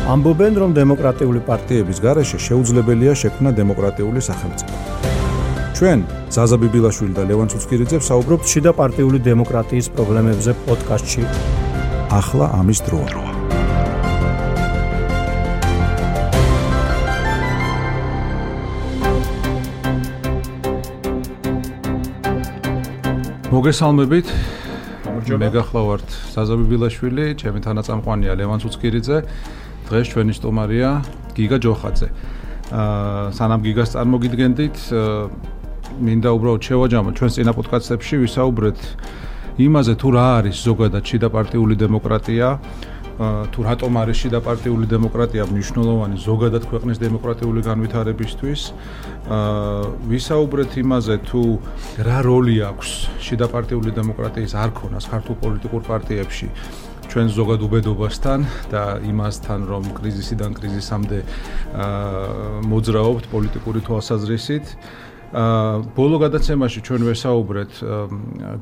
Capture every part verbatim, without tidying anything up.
ამბობენ, რომ დემოკრატიული პარტიების გარეშე შეუძლებელია შექმნა დემოკრატიული სახელმწიფო. ჩვენ ზაზა ბიბილაშვილი და ლევან ცუცქირიძე ვსაუბრობთ შიდა პარტიული დემოკრატიის პრობლემებზე პოდკასტში. ახლა ამის დროა. მოგესალმებით. მე გახლავართ ზაზა ბიბილაშვილი, ჩემი თანაწამყვანია ლევან ცუცქირიძე. დღეს ჩვენი სტუმარია გიგა ჯოხაძე. აა სანამ გიგას წარმოგიდგენდით, მინდა უბრალოდ შევაჯამოთ ჩვენს წინა პოდკასტებში ვისაუბრეთ იმაზე თუ რა არის ზოგადად შიდა პარტიული დემოკრატია, თუ რატომ არის შიდა პარტიული დემოკრატია მნიშვნელოვანი ზოგადად ქვეყნის დემოკრატიული განვითარებისთვის. აა ვისაუბრეთ იმაზე თუ რა როლი აქვს შიდა პარტიული დემოკრატიის არქონას ქართულ პოლიტიკურ პარტიებში ჩვენ ზოგად უბედობასთან და იმასთან, რომ კრიზისიდან კრიზისამდე აა მოძრაობთ პოლიტიკური თვალსაზრისით. აა ბოლო გადაცემაში ჩვენ ვესაუბრეთ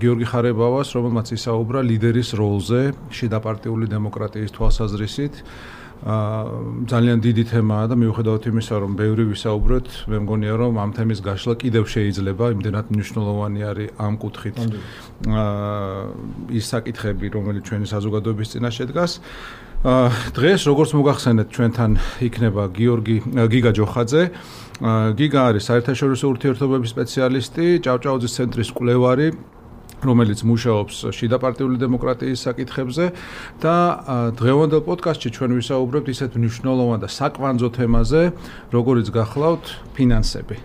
გიორგი ხარებავას, რომელმაც ისაუბრა ლიდერის როლზე შიდა პარტიული დემოკრატიის თვალსაზრისით. აა ძალიან დიდი თემაა და მიუხედავად იმისა, რომ ბევრი ვისაუბრეთ, მე მგონია, რომ ამ თემის გაშლა კიდევ შეიძლება, იმდენად მნიშვნელოვანი არის ამ კუთხით აა ის საკითხები, რომელიც ჩვენი საზოგადოების წინაშე დგას. აა დღეს, როგორც მოგახსენეთ, ჩვენთან იქნება გიორგი გიგა ჯოხაძე. გიგა არის საერთაშორისო ურთიერთობების სპეციალისტი, ჭავჭაუძის ცენტრის მკვლევარი, რომელიც მუშაობს შიდა პარტიული დემოკრატიის საკითხებზე და დღევანდელ პოდკასტში ჩვენ ვისაუბრებთ ისეთ მნიშვნელოვან და საკვანძო თემაზე, როგორიც გახლავთ ფინანსები.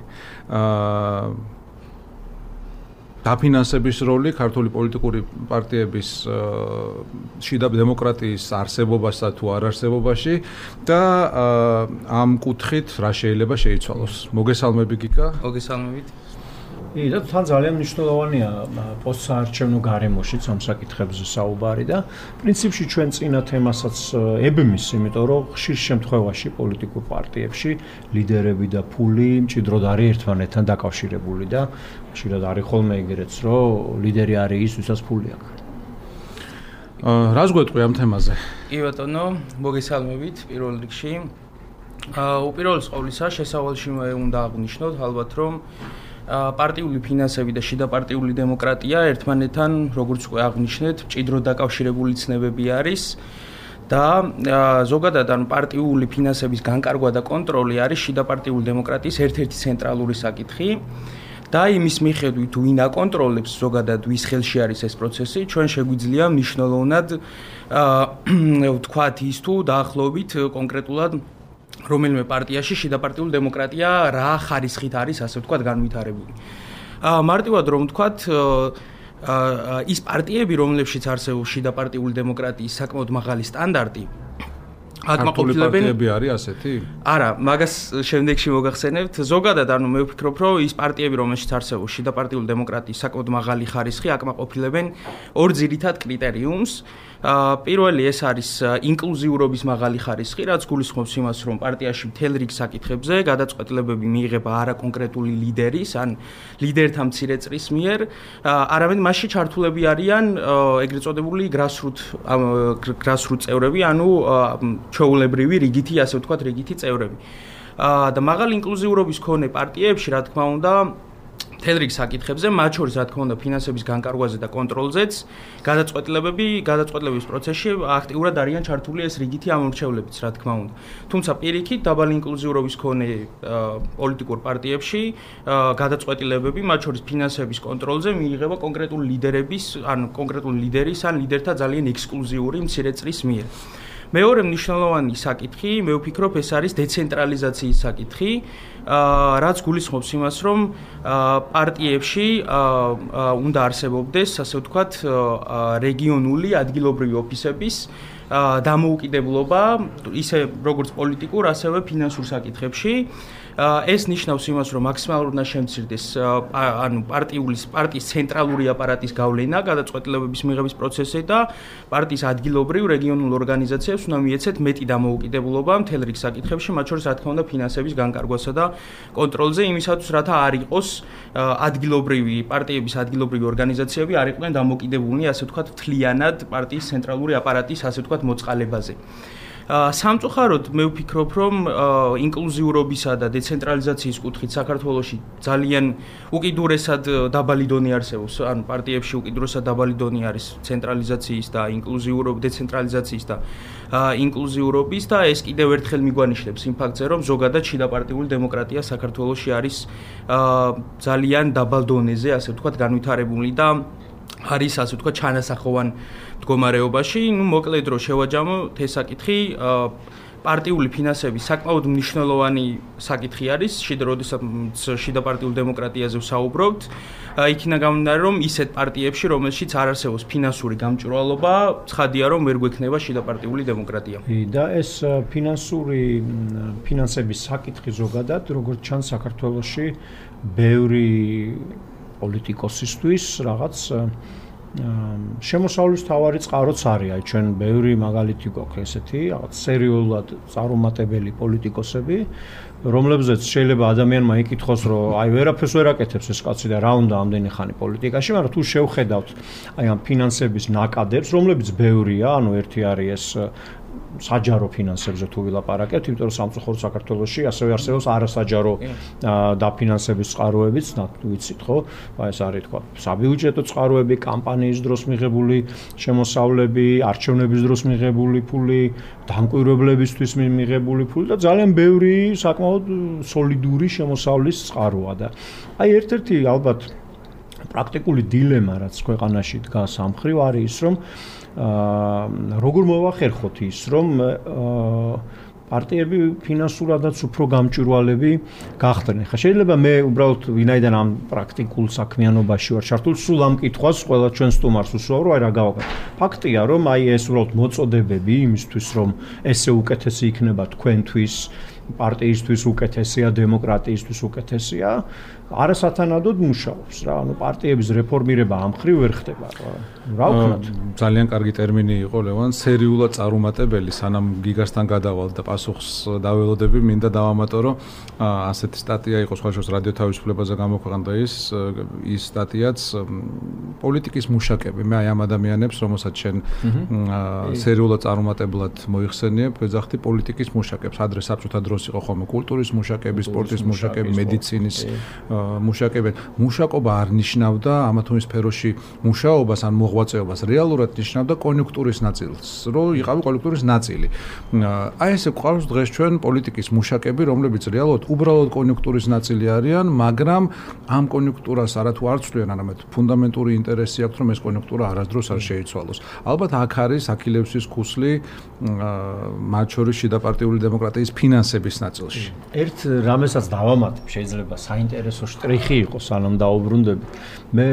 აა დაფინანსების როლი ქართული პოლიტიკური პარტიების შიდა დემოკრატიის არსებობასა თუ არ არსებობაში და ამ კუთხით რა შეიძლება შეიცვალოს. მოგესალმები გიგა. მოგესალმებით. ი და თან ძალიან მნიშვნელოვანია პოსტსაარჩევნო გარემოშიც ამ საკითხებზე საუბარი და პრინციპში ჩვენ წინა თემასაც ებმის, იმიტომ რომ ხშირ შემთხვევაში პოლიტიკურ პარტიებში ლიდერები და ფული მჭიდროდ არის ერთმანეთთან დაკავშირებული და ხშირად არის ხოლმე ეგრეც, რომ ლიდერი არის ის, ვისაც ფული აქვს. აა რას გვეტყვი ამ თემაზე? კი ბატონო, მოგესალმებით პირველ რიგში. აა უპირველეს ყოვლისა შესავალში უნდა აღნიშნოთ ალბათ, რომ პარტიული ფინანსები და შიდა პარტიული დემოკრატია ერთმანეთთან, როგორც უკვე აღნიშნეთ, მჭიდროდ დაკავშირებული ცნებები არის და ზოგადად ან პარტიული ფინანსების განკარგვა და კონტროლი არის შიდა პარტიული დემოკრატიის ერთ-ერთი ცენტრალური საკითხი. და იმის მიხედვით, თუ ვინ აკონტროლებს ზოგადად ვის ხელში არის ეს პროცესი, ჩვენ შეგვიძლია მნიშვნელოვნად აა ვთქვათ ის თუ დაახლოებით კონკრეტულად რომელიმე პარტიაში შიდა პარტიული დემოკრატია რა ხარისხით არის, ასე ვთქვათ, განვითარებული. აა მარტივად რომ ვთქვათ, აა ის პარტიები, რომლებშიც არსებობს შიდა პარტიული დემოკრატიის საკმაოდ მაღალი სტანდარტი, აკმაყოფილებენ პარტიები არის ასეთი? არა, მაგას შემდეგში მოგახსენებთ. ზოგადად, ანუ მე ვფიქრობ, რომ ის პარტიები, რომელშიც არსებობს შიდა პარტიული დემოკრატიის საკმაოდ მაღალი ხარისხი, აკმაყოფილებენ ორ ძირითად კრიტერიუმს. პირველი ეს არის ინკლუზიურობის მაღალი ხარისხი, რაც გულისხმობს იმას, რომ პარტიაში მთელ რიგ საკითხებზე გადაწყვეტილებები მიიღება არა კონკრეტული ლიდერის, ან ლიდერთა მცირე წრის მიერ, არამედ მასში ჩართულები არიან ეგრეთ წოდებული grassroot grassroot წევრები, ანუ ჩვეულებრივი რიგითი, ასე ვთქვათ, რიგითი წევრები. და მაღალი ინკლუზიურობის მქონე პარტიებში, რა თქმა უნდა, მთელ რიგ საკითხებზე, მათ შორის რა თქმა უნდა ფინანსების განკარგვაზე და კონტროლზეც, გადაწყვეტილებები, გადაწყვეტილების პროცესში აქტიურად არიან ჩართული ეს რიგითი ამორჩევლებიც, რა თქმა უნდა. თუმცა პირიქით, დაბალი ინკლუზიურობის მქონე პოლიტიკურ პარტიებში გადაწყვეტილებები, მათ შორის ფინანსების კონტროლზე მიიღება კონკრეტული ლიდერების, ან კონკრეტული ლიდერის, ან ლიდერთა ძალიან ექსკლუზიური მცირე წრის მიერ. მეორე მნიშვნელოვანი საკითხი, მე ვფიქრობ, ეს არის დეცენტრალიზაციის საკითხი, რაც გულისხმობს იმას, რომ პარტიებში უნდა არსებობდეს, ასე ვთქვათ, რეგიონული ადგილობრივი ოფისების დამოუკიდებლობა, ისე როგორც პოლიტიკურ, ასევე ფინანსურ საკითხებში. ეს ნიშნავს იმას, რომ მაქსიმალურად უნდა შემცირდეს ანუ პარტიული პარტიის ცენტრალური აპარატის გავლენა გადაწყვეტილებების მიღების პროცესზე და პარტიის ადგილობრივ რეგიონულ ორგანიზაციებს უნდა მიეცეთ მეტი დამოუკიდებლობა მთელ რიგ საკითხებში, მათ შორის რა თქმა უნდა ფინანსების განკარგვასა და კონტროლზე, იმისათვის რათა არ იყოს ადგილობრივი პარტიების ადგილობრივი ორგანიზაციები არ იყვნენ დამოკიდებულნი, ასე ვთქვათ, მთლიანად პარტიის ცენტრალური აპარატის, ასე ვთქვათ, მოწყალებაზე. სამწუხაროდ მე ვფიქრობ, რომ ინკლუზიურობისა და დეცენტრალიზაციის კუთხით საქართველოში ძალიან უკიდურესად დაბალი დონე არსებობს, ანუ პარტიებში უკიდურესად დაბალი დონე არის ცენტრალიზაციის და ინკლუზიურობის, დეცენტრალიზაციის და ინკლუზიურობის და ეს კიდევ ერთხელ მიგვანიშნებს იმ ფაქტზე, რომ ზოგადად შიდაპარტიული დემოკრატია საქართველოში არის ძალიან დაბალ დონეზე, ასე ვთქვათ, განვითარებული და არის ასე ვთქვათ ჩანასახოვან მდგომარეობაში. ნუ მოკლედ რომ შევაჯამოთ ეს საკითხი, პარტიული ფინანსების საკმაოდ მნიშვნელოვანი საკითხი არის, შიდა როდესაც შიდაპარტიულ დემოკრატიაზე ვსაუბრობთ, იქინა გამომდინარე, რომ ისეთ პარტიებში, რომელშიც არ არსებობს ფინანსური გამჭვირვალობა, ცხადია, რომ ვერ გვექნება შიდაპარტიული დემოკრატია. და ეს ფინანსური ფინანსების საკითხი ზოგადად, როგორც ჩანს საქართველოში, ბევრი პოლიტიკოსისთვის რაღაც შემოსავლის თავარი წყაროც არის, აი ჩვენ ბევრი მაგალითი გვაქვს ესეთი, რაღაც სერიოზულად წარუმატებელი პოლიტიკოსები, რომლებზეც შეიძლება ადამიანმა იკითხოს, რომ აი ვერაფერს ვერ აკეთებს ეს კაცი და რა უნდა ამდენი ხანი პოლიტიკაში, მაგრამ თუ შევხედავთ აი ამ ფინანსების ნაკადებს, რომლებიც ბევრია, ანუ ერთი არის ეს საჯარო ფინანსებზე თუ ვილაპარაკებთ, იმიტომ რომ სამწუხაროდ საქართველოში ასევე არსებობს არასაჯარო დაფინანსების წყაროებიც, ვიცით ხო? აი ეს არის თქვა საბიუჯეტო წყაროები, კამპანიის დროს მიღებული შემოსავლები, არჩევნების დროს მიღებული ფული, დამკვირვებლებისთვის მიღებული ფული და ძალიან ბევრი საკმაოდ სოლიდური შემოსავლის წყაროა და აი ერთ-ერთი ალბათ პრაქტიკული დილემა, რაც ქვეყანაში დგას ამ მხრივ არის ის, რომ აა როგორ მოვახერხოთ ის, რომ პარტიები ფინანსურადაც უფრო გამჭვირვალები გახდნენ. ხა შეიძლება მე უბრალოდ ვინაიდან ამ პრაქტიკულ საქმიანობაში ვარ ჩართული, სულ ამ კითხვას ყველა ჩვენ სტუმარს უსვავ, რომ აი რა გავაკეთე. ფაქტია, რომ აი ეს უბრალოდ მოწოდებები იმისთვის, რომ ესე უკეთესი იქნება თქვენთვის, პარტიისთვის უკეთესია, დემოკრატიისთვის უკეთესია, არასათანადოდ მუშაობს რა. ანუ პარტიების რეფორმირება ამ მხრივ ვერ ხდება რა. რა ვქნათ? ძალიან კარგი ტერმინი იყო ლევან, სერიულად წარუმატებელი, სანამ გიგასთან გადავალ და პასუხს დაველოდები, მინდა დავამატო, რომ ასეთი სტატია იყო სხვაშორის რადიო თავისუფლებაზე გამოქვეყნდა ის ის სტატიაც პოლიტიკის მუშაკები. მე აი ამ ადამიანებს, რომელსაც შენ სერიულად წარუმატებლად მოიხსენიებ, ვეძახდი პოლიტიკის მუშაკებს. ადრე საბჭოთა დროს იყო ხოლმე კულტურის მუშაკები, სპორტის მუშაკები, მედიცინის მუშაკები. მუშაკობა არ ნიშნავდა ამა თუ იმ სფეროში მუშაობას ან მოღვაწეობას, რეალურად ნიშნავდა კონიუნქტურის ნაწილს, რომ იყავი კონიუნქტურის ნაწილი. აი ესე გვყავს დღეს ჩვენ პოლიტიკის მუშაკები, რომლებიც რეალურად უბრალოდ კონიუნქტურის ნაწილი არიან, მაგრამ ამ კონიუნქტურას არათუ არ ცვლიან, არამედ ფუნდამენტური ინტერესი აქვს, რომ ეს კონიუნქტურა არასდროს არ შეიცვალოს. ალბათ აქ არის აქილევსის ქუსლი მათ შორის შიდაპარტიული დემოკრატიის ფინანსების ნაწილში. ერთ რამესაც დავამატებ, შეიძლება საინტერესო შტრიხი იყოს, სანამ დაუბრუნდები. მე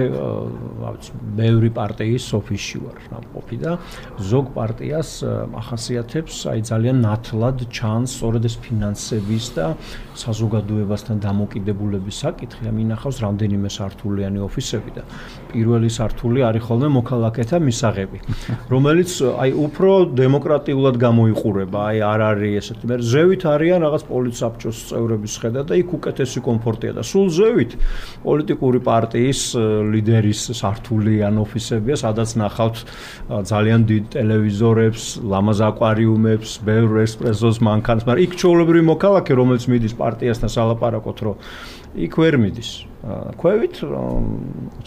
ვიცი, ბევრი პარტიის ოფისში ვარ ნამყოფი და ზოგ პარტიას ახასიათებს აი ძალიან ნათლად ჩანს სწორედ ეს ფინანსების და საზოგადოებასთან დამოკიდებულების საკითხი. მინახავს რამდენიმე სართულიანი ოფისები და პირველი სართული არის ხოლმე მოქალაქეთა მისაღები, რომელიც აი უფრო დემოკრატიულად გამოიყურება. აი არ არის ესეთი, მე ზევით არიან რაღაც პოლიტსაბჭოს წევრების ხედა და იქ უკეთესი კომფორტია და სულ ზევით პოლიტიკური პარტიის ლიდერის სართული ან ოფისებია, სადაც ნახავთ ძალიან დიდ ტელევიზორებს, ლამაზ აკვარიუმებს, ბევრ ესპრესოს მანქანას, მაგრამ იქ ჩვეულებრივი მოქალაქე, რომელიც მიდის პარტიასთან სალაპარაკოთ, რომ იქ ვერ მიდის. ქვევით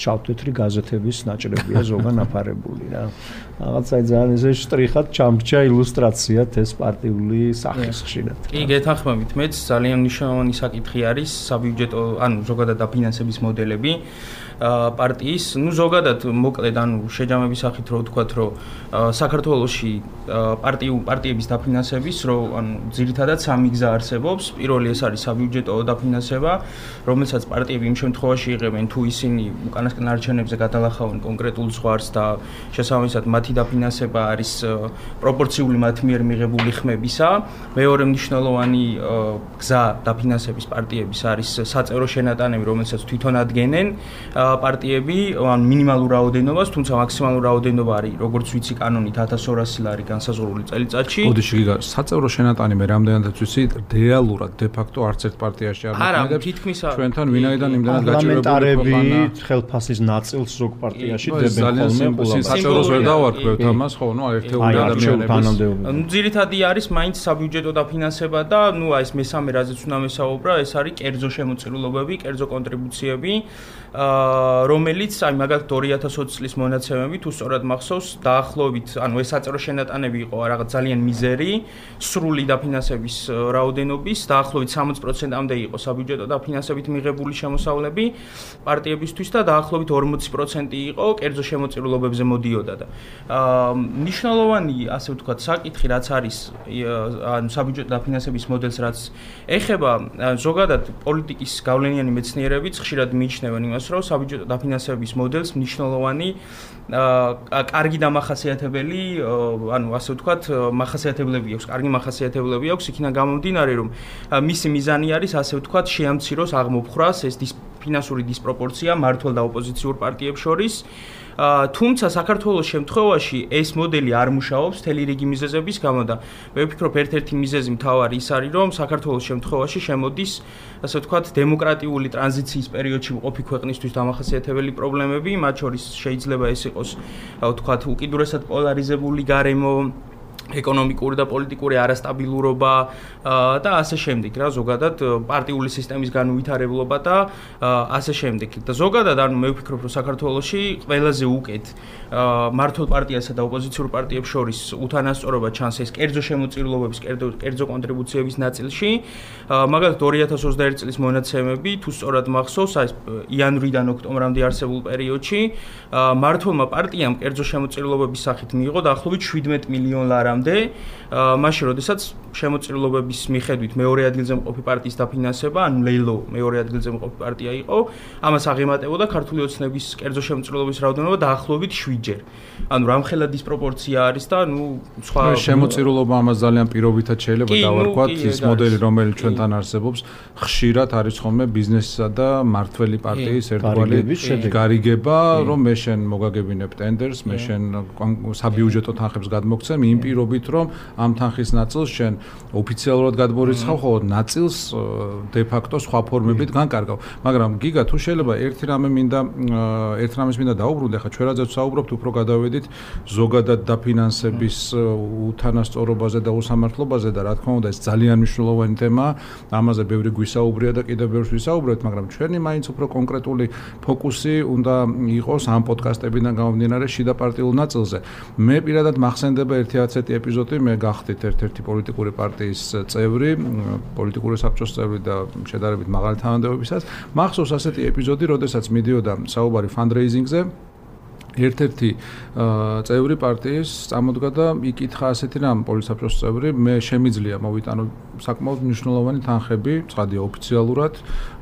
ჩავთვეთრი გაზეთების նաჭრებია ზოგან აფარებული რა. რაღაცა ძალიან ესე შტრიხად ჩამრჩა ილუსტრაციად ეს პარტიული სახის ხშირად. კი, გეთანხმებით, მეც ძალიან მნიშვნელოვანი საკითხი არის საბიუჯეტო, ანუ ზოგადად დაფინანსების მოდელები პარტიის, ну ზოგადად მოკლედ ანუ შეჯამების სახით რო ვთქვათ, რომ საქართველოში პარტიუ პარტიების დაფინანსების რო ანუ ძირითადად სამი გზა არსებობს. პირველი ეს არის საბიუჯეტო დაფინანსება, რომელსაც პარტიები იმ შემთხვევაში იღებენ, თუ ისინი უკანასკნელ არჩევნებზე გადალახავენ კონკრეტულ ზღვარს და შესაბამისად მათი დაფინანსება არის პროპორციული მათ მიერ მიღებული ხმებისა. მეორე მნიშვნელოვანი გზა დაფინანსების პარტიების არის საწევრო შენატანები, რომელსაც თვითონ ადგენენ პარტიები, ან მინიმალურ რაოდენობას, თუმცა მაქსიმალურ რაოდენობა არის, როგორც ვიცი, კანონით ათას ორასი ლარი განსაზღვრული წელიწადში. ოდიში გიგა, საწევრო შენატანი მე რამდენადაც ვიცი, რეალურად დე ფაქტო არც ერთ პარტიაში არ მოქმედებს. არა, თითქმის ჩვენთან ვინაიდან იმდანაც გაჭირვებული პარლამენტარები ხელფასის ნაწილს ზოგ პარტიაში დებენ ხოლმე საჭიროს ვერ დავარქვევთ ამას ხო ნუ ერთეული ადამიანების ნუ ძირითადი არის მაინც საბიუჯეტო დაფინანსება და ნუ აი ეს მესამე რაზეც უნდა მესაუბრა ეს არის კერძო შემოწირულობები, კერძო კონტრიბუციები რომელიც აი მაგალითად ორი ათას ოცი წლის მონაცემები თუ სწორად მახსოვს დაახლოებით ანუ ეს საწერო შენატანები იყო რაღაც ძალიან მიზერი სრული დაფინანსების რაოდენობის დაახლოებით სამოცი პროცენტამდე იყო საბიუჯეტო დაფინანსებით მიღებული შემოსავლები პარტიებისთვის და დაახლოებით ორმოცი პროცენტი იყო კერძო შემოწირულობებზე მოდიოდა და მნიშვნელოვანი ასე ვთქვათ საკითხი რაც არის ანუ საბიუჯეტო დაფინანსების მოდელს რაც ეხება ზოგადად პოლიტიკის გავლენიანი მეცნიერებიც ხშირად მიიჩნევენ იმას რომ საბიუჯეტო დაფინანსების მოდელს მნიშვნელოვანი კარგი დამახასიათებელი ანუ ასე ვთქვათ მახასიათებლები აქვს, კარგი მახასიათებლები აქვს, იქიდან გამომდინარე რომ მისი მიზანი არის ასე ვთქვათ შეამციროს აღმოფხრას ეს ფინანსური დისპროპორცია მართლ და ოპოზიციურ პარტიებს შორის თუმცა საქართველოს შემთხვევაში ეს მოდელი არ მუშაობს თელი რიგი მიზეზების გამო და მე ვფიქრობ ერთ-ერთი მიზეზი მთავარი ის არის რომ საქართველოს შემთხვევაში შემოდის ასე ვთქვათ დემოკრატიული ტრანზიციის პერიოდში მყოფი ქვეყნისთვის დამახასიათებელი პრობლემები მათ შორის შეიძლება ეს იყოს ვთქვათ უკიდურესად პოლარიზებული გარემო ეკონომიკური და პოლიტიკური არასტაბილურობა და ასე შემდეგ რა ზოგადად პარტიული სისტემის განუვითარებლობა და ასე შემდეგ და ზოგადად ანუ მე ვფიქრობ რომ საქართველოში ყველაზე უკეთ მართლ პარტიასა და ოპოზიციურ პარტიებს შორის უთანასწორობა ჩანს ეს კერძო შემოწირულობების კერძო კონტრიბუციების ნაწილში მაგალითად ორი ათას ოცდაერთი წლის მონაცემები თუ სწორად მახსოვს აი იანვრიდან ოქტომბრამდე არსებულ პერიოდში მართლმა პარტიამ კერძო შემოწირულობების სახით მიიღო დაახლოებით შვიდმეტი მილიონი ლარა მაშინ როდესაც შემოწირულობების მიხედვით მეორე ადგილზე მყოფი პარტიის დაფინანსება, ანუ ლეილო მეორე ადგილზე მყოფი პარტია იყო, ამას აღემატებოდა ქართული ოცნების კერძო შემოწირულობის რაოდენობა დაახლოებით შვიდჯერ. ანუ რამხელა დისპროპორცია არის და ნუ სხვა შემოწირულობა ამას ძალიან პირობითად შეიძლება დავარქვათ, ის მოდელი რომელიც ჩვენთან არსებობს, ხშირად არის ხოლმე ბიზნესისა და მართველი პარტიის ერთგვარი გარიგება, რომ მე შენ მოგაგებინებ ტენდერს, მე შენ საბიუჯეტო თანხებს გადმოგცემ იმ პირობით რომ ამ თანხის ნაწილს შენ ოფიციალურად გადმორიცხავ, ხოლო ნაწილს დე ფაქტო სხვა ფორმებით განკარგავ. მაგრამ გიგა თუ შეიძლება ერთი რამე მინდა ერთ რამეს მინდა დაუბრუნდე, ხა ჩვენ რაზეც საუბრობთ, უფრო გადავედით ზოგადად დაფინანსების უთანასწორობაზე და უსამართლობაზე და რა თქმა უნდა ეს ძალიან მნიშვნელოვანი თემაა. ამაზე ბევრი გვისაუბრია და კიდევ ბევრს ვისაუბრებთ, მაგრამ ჩვენი მაინც უფრო კონკრეტული ფოკუსი უნდა იყოს ამ პოდკასტებიდან გამომდინარე შიდა პარტიულ ნაწილზე. მე პირადად მახსენდება ერთი ასეთი ეპიზოდი, მე გახდით ერთ-ერთი პოლიტიკური პარტიის წევრი, პოლიტიკური საბჭოს წევრი და შედარებით მაღალი თანამდებობისას. მახსოვს ასეთი ეპიზოდი, როდესაც მიდიოდა საუბარი ფანდრეიზინგზე. ერთ-ერთი წევრი პარტიის წამოდგა და იკითხა ასეთი რამ პოლიტსაბჭოს წევრი, მე შემიძლია მოვიტანო საკმაოდ მნიშვნელოვანი თანხები, ცხადია ოფიციალურად,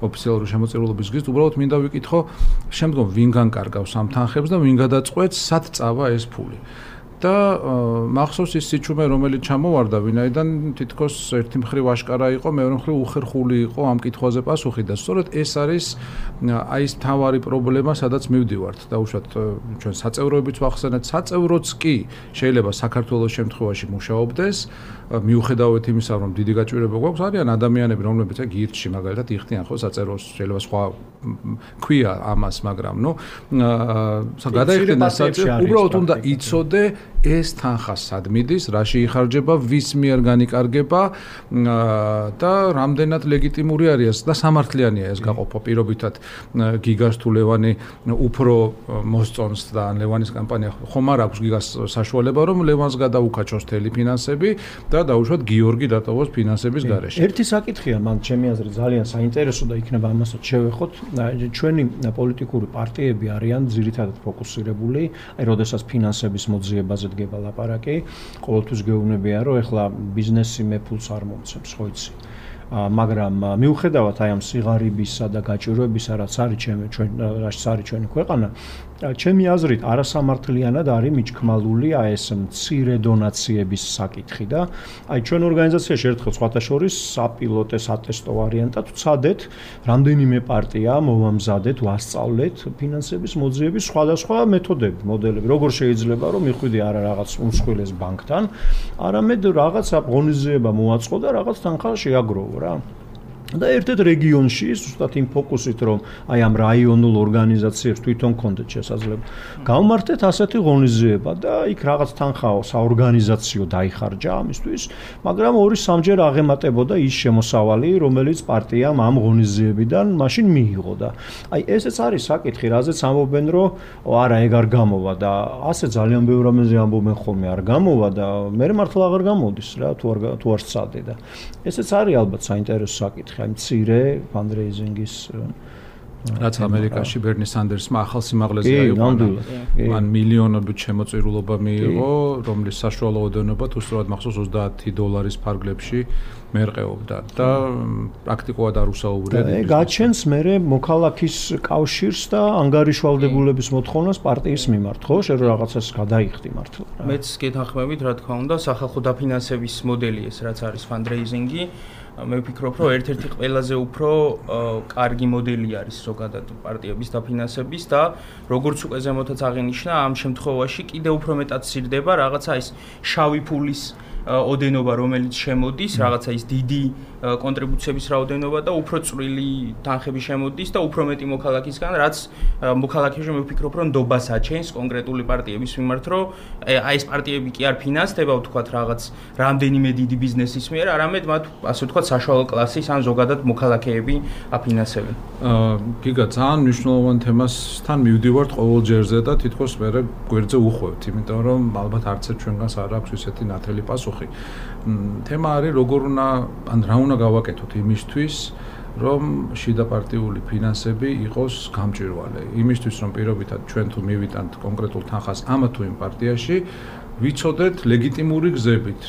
ოფიციალური შემოწირულობის გზით, უბრალოდ მინდა ვიკითხო, შემდგომ ვინ განკარგავს ამ თანხებს და ვინ გადაწყვეტს, სად წავა ეს ფული. და მახსოვს ის სიჩუმე რომელიც ჩამოვარდა ვინაიდან თითქოს ერთი მხრივ აშკარა იყო მეორე მხრივ უხერხული იყო ამ კითხვაზე პასუხი და სწორედ ეს არის აი ეს თავარი პრობლემა სადაც მივდივართ და უშუალოდ ჩვენ საწევროებიც ვახსენეთ საწევროც კი შეიძლება საქართველოს შემთხვევაში მუშაობდეს მიუხედავად იმისა რომ დიდი გაჭირვება გვაქვს არიან ადამიანები რომლებიც აი გირჩი მაგალითად იხდიან ხო საწეროს შეიძლება სხვა ქვია ამას მაგრამ ნუ გადაიხდიან საწერო უბრალოდ უნდა იცოდე ეს თანხა სად მიდის, რაში იხარჯება, ვის მიერ განიკარგება და რამდენად ლეგიტიმური არის და სამართლიანია ეს გაყოფა პირობითად გიგას თუ ლევანი უფრო მოსწონს და ლევანის კამპანია ხომ არ აქვს გიგას საშუალება რომ ლევანს გადაუკაჩოს თელი ფინანსები და დაუშვათ გიორგი დატოვოს ფინანსების გარეშე. ერთი საკითხია მან ჩემი აზრით ძალიან საინტერესო და იქნება ამასაც შევეხოთ. ჩვენი პოლიტიკური პარტიები არიან ძირითადად ფოკუსირებული, აი როდესაც ფინანსების მოძიებაზე დგება ლაპარაკი, ყოველთვის გეუბნებიან რომ ეხლა ბიზნესი მე ფულს არ მომცემს, ხო იცი. მაგრამ მიუხედავად აი ამ სიღარიბისა და გაჭირვებისა, რაც არის ჩემი ჩვენ რაც არის ჩვენი ქვეყანა, ჩემი აზრით არასამართლიანად არის მიჩქმალული აი ეს მცირე დონაციების საკითხი და აი ჩვენ ორგანიზაციაში ერთხელ სხვათა შორის საპილოტე სატესტო ვარიანტად ვცადეთ რამდენიმე პარტია მოვამზადეთ ვასწავლეთ ფინანსების მოძიების სხვადასხვა მეთოდები მოდელები როგორ შეიძლება რომ მიხვიდე არა რაღაც უმსხვილეს ბანკთან არამედ რაღაც ღონისძიება მოაწყო და რაღაც თანხა შეაგროვო რა და ერთ-ერთ რეგიონში ზუსტად იმ ფოკუსით რომ აი ამ რაიონულ ორგანიზაციებს თვითონ კონდეთ შესაძლებლობა გავმართეთ ასეთი ღონისძიება და იქ რაღაც თანხა საორგანიზაციო დაიხარჯა ამისთვის, მაგრამ ორი სამჯერ აღემატებოდა ის შემოსავალი, რომელიც პარტიამ ამ ღონისძიებიდან მაშინ მიიღო და აი ესეც არის საკითხი, რაზეც ამბობენ რომ არა ეგ არ გამოვა და ასე ძალიან ბევრ რამეზე ამბობენ ხოლმე არ გამოვა და მე მართლა აღარ გამოდის რა თუ არ თუ არ სცადე და ესეც არის ალბათ საინტერესო საკითხი. აი მცირე ფანდრეიზინგის რაც ამერიკაში ბერნი სანდერსმა ახალ სიმაღლეზე აიყვანა. მან მილიონობით შემოწირულობა მიიღო, რომლის საშუალო ოდენობა თუ სწორად მახსოვს ოცდაათი დოლარის ფარგლებში მერყეობდა და პრაქტიკულად არ უსაუბრია. ეგ გაჩენს მერე მოქალაქის კავშირს და ანგარიშვალდებულების მოთხოვნას პარტიის მიმართ, ხო? შენ რაღაცას გადაიხდი მართლა. მეც გეთანხმებით, რა თქმა უნდა, სახალხო დაფინანსების მოდელი ეს რაც არის ფანდრეიზინგი. მე ვფიქრობ, რომ ერთ-ერთი ყველაზე უფრო კარგი მოდელი არის ზოგადად პარტიების დაფინანსების და როგორც უკვე ზემოთაც აღინიშნა, ამ შემთხვევაში კიდევ უფრო მეტად სირდება რაღაცა ის შავი ფულის ოდენობა, რომელიც შემოდის, რაღაცა ის დიდი კონტრიბუციების რაოდენობა და უფრო წვრილი თანხები შემოდის და უფრო მეტი მოქალაქისგან, რაც მოქალაქეში მე ვფიქრობ, რომ ნდობას აჩენს კონკრეტული პარტიების მიმართ, რომ აი ეს პარტიები კი არ ფინანსდება, ვთქვათ, რაღაც რამდენიმე დიდი ბიზნესის მიერ, არამედ მათ ასე ვთქვათ საშუალო კლასის ან ზოგადად მოქალაქეები აფინანსებენ. გიგა ძალიან მნიშვნელოვან თემასთან მივდივართ ყოველ ჯერზე და თითქოს მე გვერდზე უხვევთ, იმიტომ რომ ალბათ არც ერთ ჩვენგანს არ აქვს ისეთი ნათელი პასუხი. თემა არის როგორ უნდა ან რა უნდა გავაკეთოთ იმისთვის, რომ შიდაპარტიული ფინანსები იყოს გამჭვირვალე. იმისთვის, რომ პირობითად ჩვენ თუ მივიტანთ კონკრეტულ თანხას ამა თუ იმ პარტიაში, ვიცოდეთ ლეგიტიმური გზებით,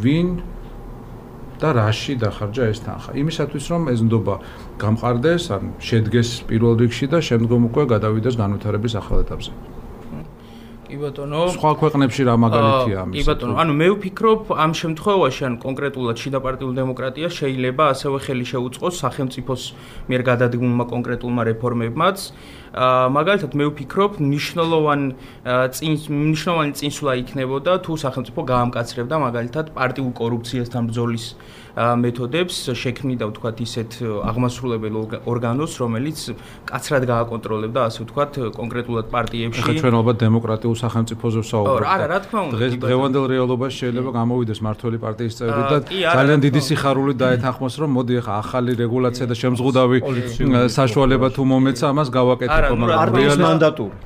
ვინ და რაში დახარჯა ეს თანხა. იმისათვის, რომ ეს ნდობა გამყარდეს, ან შედგეს პირველ რიგში და შემდგომ უკვე გადავიდეს განვითარების ახალ ეტაპზე. კი ბატონო, სხვა ქვეყნებში რა მაგალითია ამის? კი ბატონო, ანუ მე ვფიქრობ, ამ შემთხვევაში ან კონკრეტულად შიდაპარტიულ დემოკრატიას შეიძლება ასევე ხელი შეუწყოს სახელმწიფოს მიერ გადადგმულმა კონკრეტულმა რეფორმებმაც. მაგალითად მე ვფიქრობ, მნიშვნელოვანი მნიშვნელოვანი წინსვლა იქნებოდა თუ სახელმწიფო გაამკაცრებდა მაგალითად პარტიულ კორუფციასთან ბრძოლის მეთოდებს, შექმნიდა ვთქვათ ისეთ აღმასრულებელ ორგანოს, რომელიც კაცრად გააკონტროლებდა, ასე ვთქვათ, კონკრეტულად პარტიებში. ახლა ჩვენ ალბათ დემოკრატიულ სახელმწიფოზე ვსაუბრობთ. არა, რა თქმა უნდა. დღეს დღევანდელ რეალობაში შეიძლება გამოვიდეს მმართველი პარტიის წევრი და ძალიან დიდი სიხარულით დაეთანხმოს, რომ მოდი ახლა ახალი რეგულაცია და შემზღუდავი საშუალება თუ მომეცა, ამას გავაკეთებ. პარტიის მანდატური.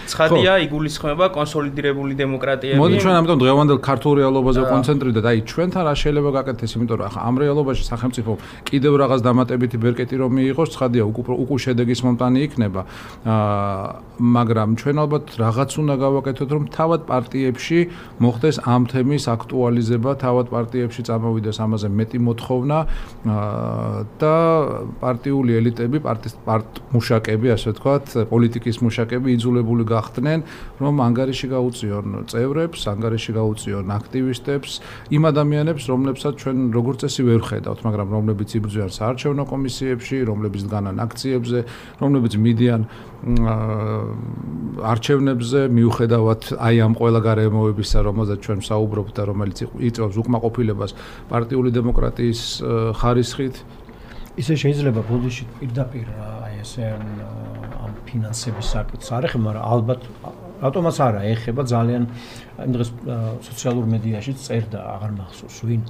ცხადია, იგულისხმება კონსოლიდირებული დემოკრატიები. მოდი ჩვენ ამიტომ დღევანდელ ქართულ რეალობაზე კონცენტრირდეთ. აი ჩვენთან რა შეიძლება გაკეთდეს, იმიტომ რომ ახლა ამ რეალობაში სახელმწიფო კიდევ რაღაც დამატებითი ბერკეტი რომ მიიღოს, ცხადია, უკუ შედეგის მომტანი იქნება. მაგრამ ჩვენ ალბათ რაღაც უნდა გავაკეთოთ, რომ თავად პარტიებში მოხდეს ამ თემის აქტუალიზება, თავად პარტიებში წამოვიდეს ამაზე მეტი მოთხოვნა და პარტიული ელიტები, პარტიის მუშაკები, ასე ვთქვათ, პოლიტიკის მუშაკები იძულებული გახდნენ, რომ ანგარიში გაუწიონ წევრებს, ანგარიში გაუწიონ აქტივისტებს, იმ ადამიანებს, რომლებსაც ჩვენ როგორც წესი ვერ ხედავთ, მაგრამ რომლებიც იბრძვიან საარჩევნო კომისიებში, რომლებიც დგანან აქციებზე, რომლებიც მიდიან არჩევნებზე, მიუხედავად აი ამ ყველა გარემოებისა, რომელზეც ჩვენ ვსაუბრობთ და რომელიც იწვევს უკმაყოფილებას პარტიული დემოკრატიის ხარისხით. ისე შეიძლება ბოდიში პირდაპირ აი ესე ამ ფინანსების საკითხს არ ეხება, მაგრამ ალბათ ავტომატს არა ეხება ძალიან იმ დღეს სოციალურ მედიაში წერდა, აღარ მახსოვს ვინ,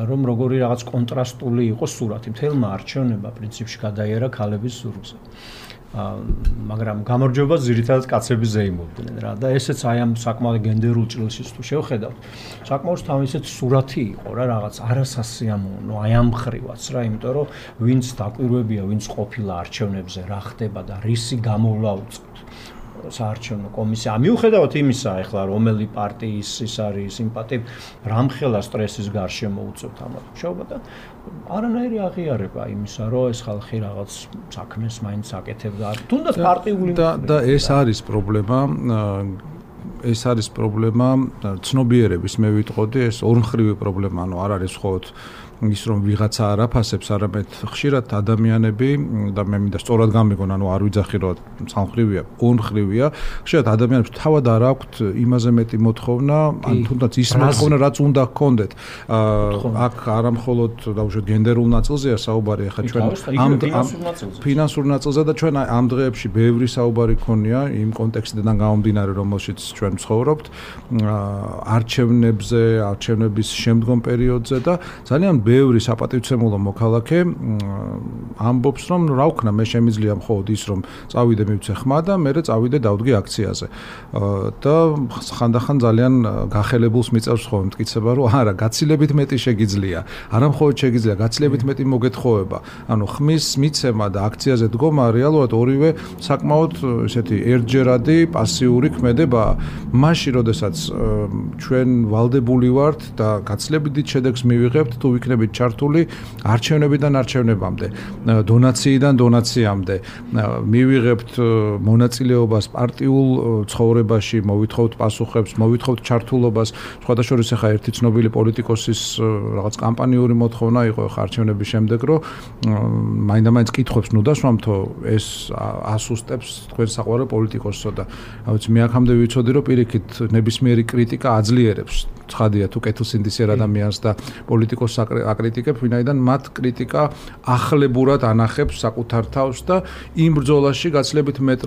რომ როგორი რაღაც კონტრასტული იყო სურათი. მთელმა არჩევნებმა პრინციპში გადაიერა ქალების ზურგზე. მაგრამ გამარჯვებას ძირითადად კაცები ზეიმობდნენ რა და ესეც აი ამ საკმაოდ გენდერულ ჭრილშიც თუ შევხედავთ, საკმაოდ თავისეთ სურათი იყო რა რაღაც არასასიამოვნო აი ამ ხრივაც რა, იმიტომ რომ ვინც დაკვირვებია, ვინც ყოფილა არჩევნებზე რა ხდება და რისი გამოვლა უწევთ საარჩევნო კომისია. მიუხედავად იმისა, ახლა რომელი პარტიის ის არის სიმპათიები, რამხელა სტრესის გარშემო უწევთ ამ მუშაობა და არანაირი აღიარება იმისა, რომ ეს ხალხი რაღაც საქმეს მაინც აკეთებდა. თუნდაც პარტიული და და ეს არის პრობლემა. ეს არის პრობლემა ცნობიერების, მე ვიტყოდი, ეს ორმხრივი პრობლემა, ანუ არ არის მხოლოდ ის რომ ვიღაცა არ აფასებს, არამედ ხშირად ადამიანები და მე მინდა სწორად გამიგონ, ანუ არ ვიძახი რომ სამხრივია, ორმხრივია, ხშირად ადამიანებს თავად არ აქვთ იმაზე მეტი მოთხოვნა, ან თუნდაც ის მოთხოვნა, რაც უნდა გქონდეთ. აქ არამხოლოდ დაუშვათ გენდერულ ნაწილზეა საუბარი, ახლა ჩვენ ამ ფინანსურ ნაწილზე და ჩვენ ამ დღეებში ბევრი საუბარი ქონია იმ კონტექსტიდან გამომდინარე, რომელშიც ჩვენ ვცხოვრობთ, არჩევნებზე, არჩევნების შემდგომ პერიოდზე და ძალიან ბევრი საპატივცემულო მოქალაქე ამბობს, რომ რა ვქნა, მე შემიძლია მხოლოდ ის, რომ წავიდე მივცე ხმა და მერე წავიდე დავდგე აქციაზე. და ხანდახან ძალიან გახელებულს მიწევს ხოლმე მტკიცება, რომ არა, გაცილებით მეტი შეგიძლია. არა მხოლოდ შეგიძლია, გაცილებით მეტი მოგეთხოვება. ანუ ხმის მიცემა და აქციაზე დგომა რეალურად ორივე საკმაოდ ესეთი ერთჯერადი პასიური ქმედებაა. მაშინ, როდესაც ჩვენ ვალდებული ვართ და გაცილებით დიდ შედეგს მივიღებთ, თუ ვიქნებით ჩართული არჩევნებიდან არჩევნებამდე, დონაციიდან დონაციამდე, მივიღებთ მონაწილეობას პარტიულ ცხოვრებაში, მოვითხოვთ პასუხებს, მოვითხოვთ ჩართულობას. სხვადასხვა ახლა ერთი ცნობილი პოლიტიკოსის რაღაც კამპანიური მოთხოვნა იყო ახლა არჩევნების შემდეგ, რომ მაინდა-მაინც კითხობს, ნუ დასვამთო, ეს ასუსტებს თქვენ საყვარელ პოლიტიკოსსო და აუცი მე აქამდე ვიცოდი, რომ პირიქით ნებისმიერი კრიტიკა აძლიერებს. ცხადია თუ კეთილსინდისიერ ადამიანს და პოლიტიკოსს აკრიტიკებ, ვინაიდან მათ კრიტიკა ახლებურად ანახებს საკუთარ თავს და იმ ბრძოლაში გაცილებით მეტ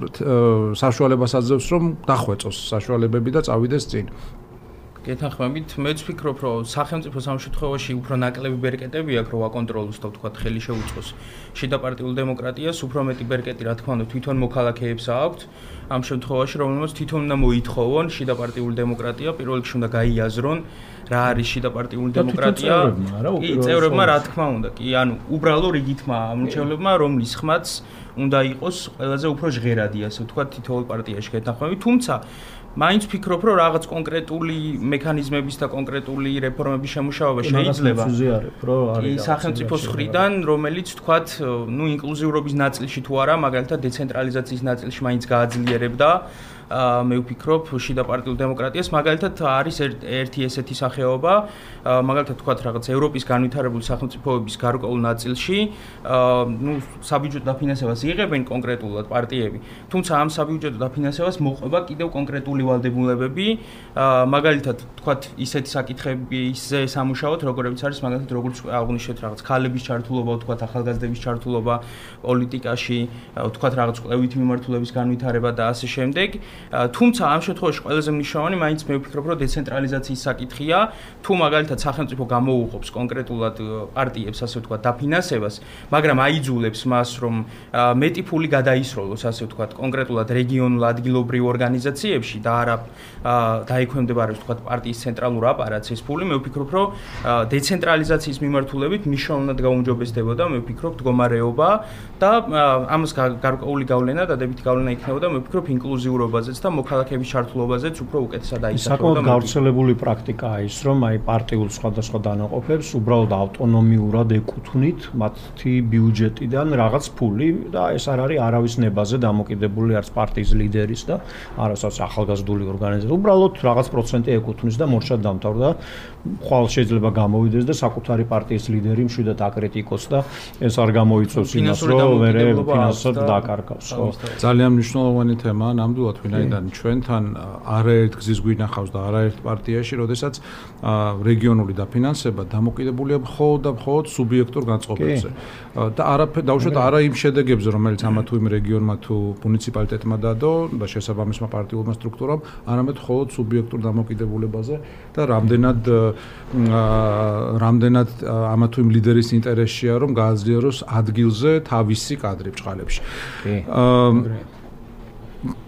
საშუალებას აძლევს, რომ დახვეწოს საშუალებები და წავიდეს წინ. გეთანხმებით, მეც ვფიქრობ, რომ სახელმწიფოს ამ შემთხვევაში უფრო ნაკლები ბერკეტები აქვს, რომ აკონტროლოს და თქვა ხელი შეუწყოს შიდაპარტიულ დემოკრატიას, უფრო მეტი ბერკეტი, რა თქმა უნდა, თვითონ მოქალაქეებს აქვს. ამ შემთხვევაში, რომელმაც თვითონ უნდა მოითხოვონ შიდაპარტიულ დემოკრატია, პირველ რიგში უნდა გაიაზრონ, რა არის შიდაპარტიული დემოკრატია. კი, წევრებმა, რა თქმა უნდა, კი, ანუ უბრალო რიგითმა ამრჩევლებმა, რომლის ხმაც უნდა იყოს ყველაზე უფრო ჟღერადი, ასე ვთქვა, თითოეულ პარტიაში გეთანხმებით, თუმცა მაინც ვფიქრობ, რომ რაღაც კონკრეტული მექანიზმების და კონკრეტული რეფორმების შემუშავება შეიძლება. კი, სახელმწიფოს მხრიდან, რომელიც თქვათ, ნუ ინკლუზიურობის ნაწილში თუ არა, მაგალითად დეცენტრალიზაციის ნაწილში მაინც გააძლიერებდა. მე ვფიქრობ, შიდაპარტიულ დემოკრატიას მაგალითად არის ერთი ესეთი სახეობა, მაგალითად თქვათ რაღაც ევროპის განვითარებული სახელმწიფოების გარკვეულ ნაწილში, ნუ საბიუჯეტო დაფინანსებას იღებენ კონკრეტულად პარტიები, თუმცა ამ საბიუჯეტო დაფინანსებას მოყვება კიდევ კონკრეტული ვალდებულებები, მაგალითად თქვათ ისეთი საკითხებზე სამუშაოთ, როგორიც არის მაგალითად როგორც აღნიშნეთ რაღაც ქალების ჩართულობა, თქვათ ახალგაზრდების ჩართულობა პოლიტიკაში, თქვათ რაღაც კვლევითი მიმართულების განვითარება და ასე შემდეგ. თუმცა ამ შემთხვევაში ყველაზე მნიშვნელოვანი მაინც მე ვფიქრობ, რომ დეცენტრალიზაციის საკითხია, თუ მაგალითად სახელმწიფო გამოუღობს კონკრეტულად პარტიებს, ასე ვთქვათ, დაფინანსებას, მაგრამ აიძულებს მას, რომ მეტი ფული გადაისროლოს, ასე ვთქვათ, კონკრეტულად რეგიონულ ადგილობრივ ორგანიზაციებში და არა დაექვემდებარებს, ვთქვათ, პარტიის ცენტრალურ აპარატს ეს ფული, მე ვფიქრობ, რომ დეცენტრალიზაციის მიმართულებით მნიშვნელოვნად გაუმჯობესდებოდა, მე ვფიქრობ, მდგომარეობა და ამას გარკვეული გავლენა, დადებითი გავლენა იქნებოდა, მე ვფიქრობ, ინკლუზიურობაზე და მოქალაქეების ჩართულობაზეც უფრო უკეთესად აისახებოდა. საკმაოდ გავრცელებული პრაქტიკაა ის, რომ აი პარტიულ სხვადასხვა დანაყოფებს უბრალოდ ავტონომიურად ეკუთვნით მათი ბიუჯეტიდან რაღაც ფული და ეს არ არის არავის ნებაზე დამოკიდებული არც პარტიის ლიდერის და არასაც ახალგაზრდული ორგანიზაცია. უბრალოდ რაღაც პროცენტი ეკუთვნის და მორჩად დამთავრდა. ხვალ შეიძლება გამოვიდეს და საკუთარი პარტიის ლიდერი მშვიდად აკრიტიკოს და ეს არ გამოიწვევს იმას, რომ მერე ფინანსურად დაკარგავს. ძალიან მნიშვნელოვანი თემაა ნამდვილად, ვინაიდან ჩვენთან არაერთ გზის გვინახავს და არაერთ პარტიაში, როდესაც რეგიონული დაფინანსება დამოკიდებულია მხოლოდ და მხოლოდ სუბიექტურ განწყობებზე. და არაფერ დაუშვათ არა იმ შედეგებზე, რომელიც ამა თუ იმ რეგიონმა თუ მუნიციპალიტეტმა დადო და შესაბამისმა პარტიულმა სტრუქტურამ, არამედ მხოლოდ სუბიექტურ დამოკიდებულებაზე და რამდენად რამდენად ამა თუ იმ ლიდერის ინტერესია, რომ გააძლიეროს ადგილზე თავისი კადრი ბჭყალებში.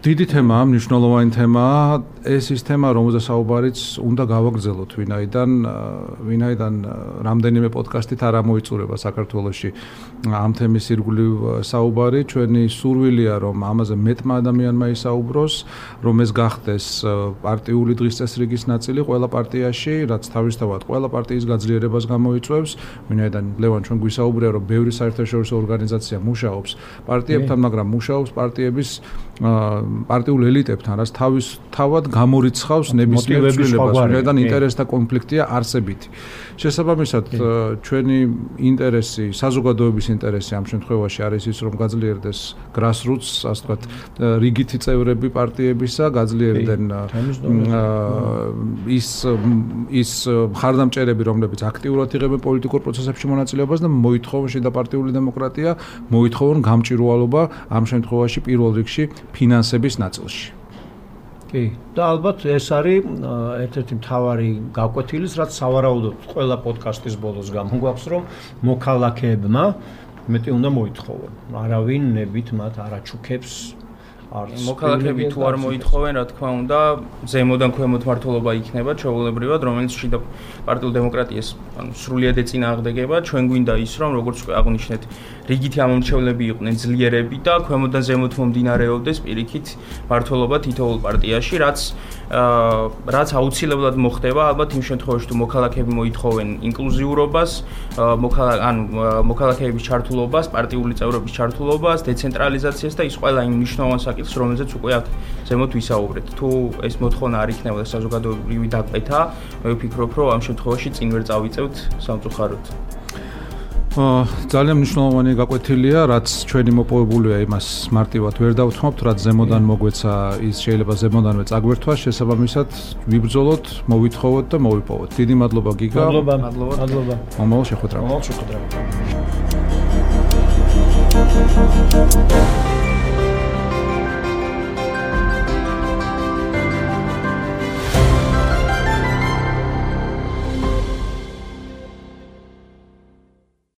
დიდი თემაა, მნიშვნელოვანი თემაა, ეს ის თემა, რომელზეც საუბარიც უნდა გავაგრძელოთ, ვინაიდან ვინაიდან რამდენიმე პოდკასტით არ ამოიწურება საქართველოში ამ თემის ირგვლივ საუბარი, ჩვენი სურვილია, რომ ამაზე მეტმა ადამიანმა ისაუბროს, რომ ეს გახდეს პარტიული დღის წესრიგის ნაწილი ყველა პარტიაში, რაც თავისთავად ყველა პარტიის გაძლიერებას გამოიწვევს, ვინაიდან ლევან ჩვენ გვისაუბრია, რომ ბევრი საერთაშორისო ორგანიზაცია მუშაობს პარტიებთან, მაგრამ მუშაობს პარტიების პარტიულ ელიტებთან, რაც თავის თავად გამორიცხავს ნებისმიერ ცვლილებას, ვინაიდან ინტერესთა კონფლიქტია არსებითი. შესაბამისად, ჩვენი ინტერესი, საზოგადოების ინტერესი ამ შემთხვევაში არის ის, რომ გაძლიერდეს grassroots, ასე ვთქვათ, რიგითი წევრები პარტიებისა, გაძლიერდნენ ის ის მხარდამჭერები, რომლებიც აქტიურად იღებენ პოლიტიკურ პროცესებში მონაწილეობას და მოითხოვენ შედაპარტიული დემოკრატია, მოითხოვენ გამჭირვალობა ამ შემთხვევაში პირველ რიგში ფინანსების ნაწილში. კი, და ალბათ ეს არის ერთ-ერთი მთავარი გაკვეთილის, რაც სავარაუდოდ ყველა პოდკასტის ბოლოს გამოგვაქვს, რომ მოქალაქეებმა მეტი უნდა მოითხოვონ. არავინ ნებით მათ არ აჩუქებს არც მოქალაქეები თუ არ მოითხოვენ, რა თქმა უნდა, ზემოდან ქვემოთ მმართველობა იქნება ჩვეულებრივად, რომელიც შიდა პარტიულ დემოკრატიას, ანუ სრულიად ეწინააღმდეგება. ჩვენ გვინდა ის, რომ როგორც უკვე აღნიშნეთ, რიგითი ამომრჩევლები იყვნენ ძლიერები და ქვემოდან ზემოთ მომდინარეობდეს პირიქით მმართველობა თითოეულ პარტიაში, რაც რაც აუცილებლად მოხდება, ალბათ იმ შემთხვევაში, თუ მოქალაქეები მოითხოვენ ინკლუზიურობას, ანუ მოქალაქეების ჩართულობას, პარტიული წევრობის ჩართულობას, დეცენტრალიზაციას და ის ყველა იმ მნიშვნელოვან საკითხს, რომელზეც უკვე აქ ზემოთ ვისაუბრეთ. თუ ეს მოთხოვნა არ იქნება საზოგადოებრივი დაკვეთა, მე ვფიქრობ, რომ ამ შემთხვევაში წინ ვერ წავიწევთ სამწუხაროდ. ძალიან მნიშვნელოვანი გაკვეთილია, რაც ჩვენი მოპოვებულია, იმას მარტივად ვერ დავთმობთ, რაც ზემოდან მოგვეცა, ის შეიძლება ზემოდანვე წაგვერთვა, შესაბამისად ვიბრძოლოთ, მოვითხოვოთ და მოვიპოვოთ. დიდი მადლობა გიგა. მადლობა, მადლობა. მომავალ შეხვედრამდე. მომავალ შეხვედრამდე.